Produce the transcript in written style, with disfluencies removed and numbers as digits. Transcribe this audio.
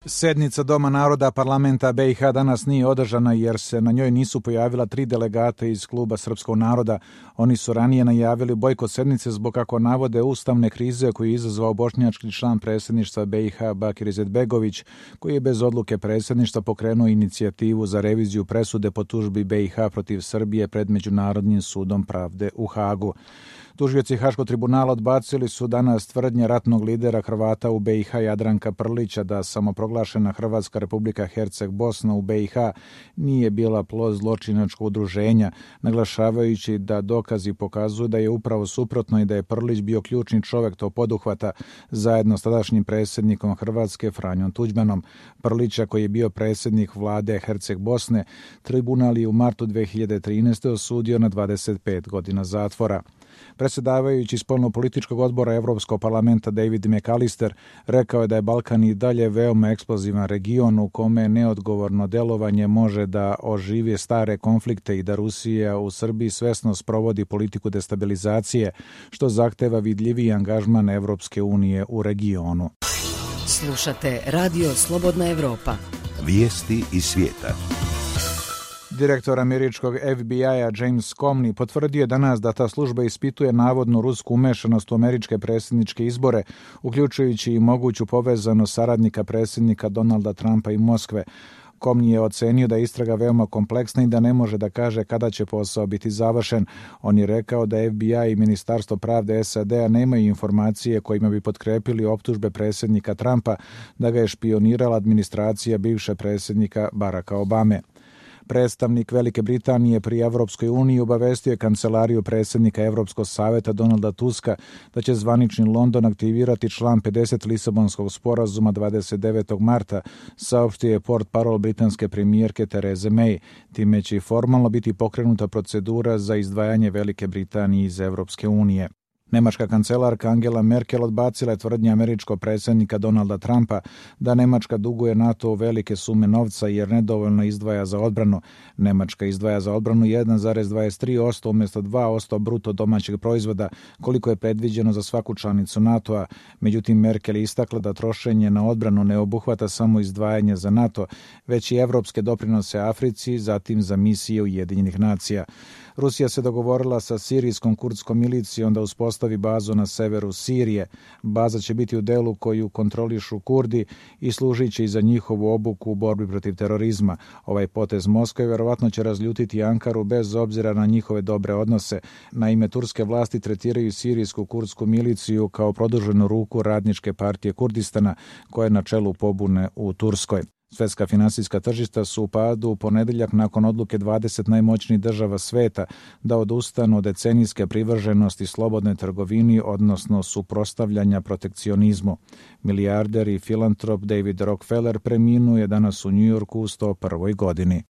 Sednica Doma naroda parlamenta BiH danas nije održana jer se na njoj nisu pojavila 3 delegata iz kluba Srpskog naroda. Oni su ranije najavili bojkot sednice zbog, kako navode, ustavne krize koju je izazvao bošnjački član predsjedništva BiH Bakir Izetbegović, koji je bez odluke predsjedništva pokrenuo inicijativu za reviziju presude po tužbi BiH protiv Srbije pred Međunarodnim sudom pravde u Hagu. Tužioci Haškog tribunala odbacili su danas tvrdnje ratnog lidera Hrvata u BiH Jadranka Prlića da samoproglašena Hrvatska Republika Herceg-Bosna u BiH nije bila plod zločinačkog udruženja, naglašavajući da dokazi pokazuju da je upravo suprotno i da je Prlić bio ključni čovjek tog poduhvata zajedno s tadašnjim predsjednikom Hrvatske Franjom Tuđmanom. Prlića, koji je bio predsjednik vlade Herceg-Bosne, tribunal je u martu 2013. osudio na 25 godina zatvora. Predsjedavajući spoljnopolitičkog odbora Europskog parlamenta David McAllister rekao je da je Balkan i dalje veoma eksplozivan region u kome neodgovorno delovanje može da oživi stare konflikte i da Rusija u Srbiji svesno sprovodi politiku destabilizacije, što zahteva vidljiviji angažman Evropske unije u regionu. Slušate Radio Slobodna Evropa. Vijesti iz svijeta. Direktor američkog FBI-a James Comey potvrdio je danas da ta služba ispituje navodnu rusku umešanost u američke predsjedničke izbore, uključujući i moguću povezanost saradnika predsjednika Donalda Trumpa i Moskve. Comey je ocenio da je istraga veoma kompleksna i da ne može da kaže kada će posao biti završen. On je rekao da FBI i Ministarstvo pravde SAD-a nemaju informacije kojima bi potkrepili optužbe predsjednika Trumpa da ga je špionirala administracija bivše predsjednika Baracka Obame. Predstavnik Velike Britanije pri Evropskoj uniji obavestio je kancelariju predsjednika Evropskog savjeta Donalda Tuska da će zvanični London aktivirati član 50 Lisabonskog sporazuma 29. marta, saopštio je portparol britanske premijerke Therese May. Time će i formalno biti pokrenuta procedura za izdvajanje Velike Britanije iz Evropske unije. Nemačka kancelarka Angela Merkel odbacila je tvrdnje američkog predsjednika Donalda Trumpa da Nemačka duguje NATO velike sume novca jer nedovoljno izdvaja za odbranu. Nemačka izdvaja za odbranu 1,23% umjesto 2% bruto domaćeg proizvoda, koliko je predviđeno za svaku članicu NATO-a. Međutim, Merkel je istakla da trošenje na odbranu ne obuhvata samo izdvajanje za NATO, već i evropske doprinose Africi, zatim za misije Ujedinjenih nacija. Rusija se dogovorila sa sirijskom kurdskom milicijom da uspostavi bazu na severu Sirije. Baza će biti u delu koju kontrolišu Kurdi i služit će i za njihovu obuku u borbi protiv terorizma. Ovaj potez Moskve vjerovatno će razljutiti Ankaru bez obzira na njihove dobre odnose. Naime, turske vlasti tretiraju sirijsku kurdsku miliciju kao produženu ruku Radničke partije Kurdistana, koja je na čelu pobune u Turskoj. Svjetska finansijska tržišta su u padu u ponedjeljak nakon odluke 20 najmoćnijih država sveta da odustanu od decenijske privrženosti slobodnoj trgovini, odnosno suprotstavljanja protekcionizmu. Milijarder i filantrop David Rockefeller preminuo je danas u New Yorku u 101. godini.